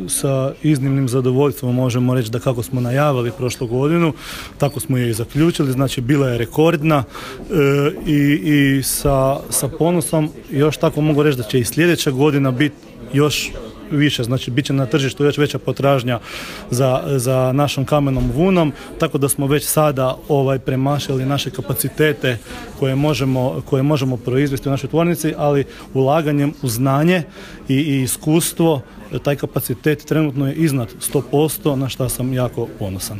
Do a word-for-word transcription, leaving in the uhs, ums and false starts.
sa iznimnim zadovoljstvom možemo reći da kako smo najavili prošlu godinu, tako smo je i zaključili, znači bila je rekordna e, i, i sa, sa ponosom još tako mogu reći da će i sljedeća godina biti još više, znači bit će na tržištu još veća potražnja za, za našom kamenom vunom, tako da smo već sada ovaj, premašili naše kapacitete koje možemo, koje možemo proizvesti u našoj tvornici, ali ulaganjem u znanje i, i iskustvo taj kapacitet trenutno je iznad sto posto, na što sam jako ponosan.